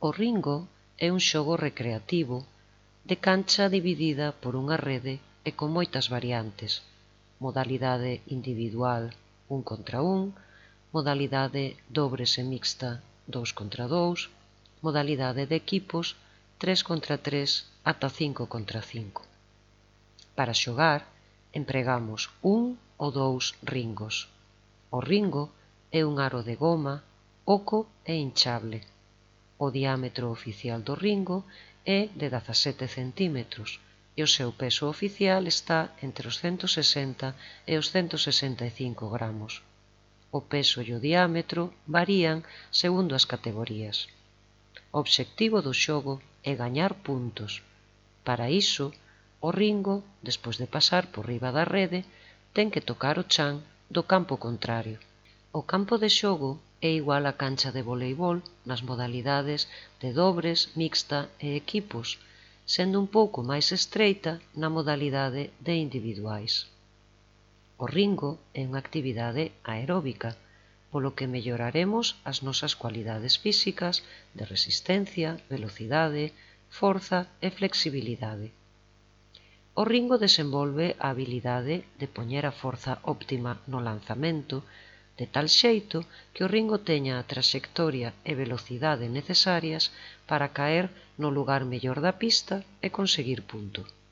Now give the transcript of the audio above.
O ringo é un xogo recreativo de cancha dividida por unha rede e con moitas variantes: modalidade individual 1 contra 1, modalidade dobres e mixta 2 contra 2, modalidade de equipos 3 contra 3 ata 5 contra 5. Para xogar, empregamos un ou dous ringos. O ringo é un aro de goma, oco e hinchable. O diámetro oficial do ringo é de 17 centímetros e o seu peso oficial está entre os 160 e os 165 gramos. O peso e o diámetro varían segundo as categorías. O obxectivo do xogo é gañar puntos. Para iso, o ringo, despois de pasar por riba da rede, ten que tocar o chan do campo contrario. O campo de xogo é igual á cancha de voleibol nas modalidades de dobres, mixta e equipos, sendo un pouco máis estreita na modalidade de individuais. O ringo é unha actividade aeróbica, polo que melloraremos as nosas cualidades físicas de resistencia, velocidade, forza e flexibilidade. O ringo desenvolve a habilidade de poñer a forza óptima no lanzamento, de tal xeito que o ringo teña a traxectoria e velocidade necesarias para caer no lugar mellor da pista e conseguir punto.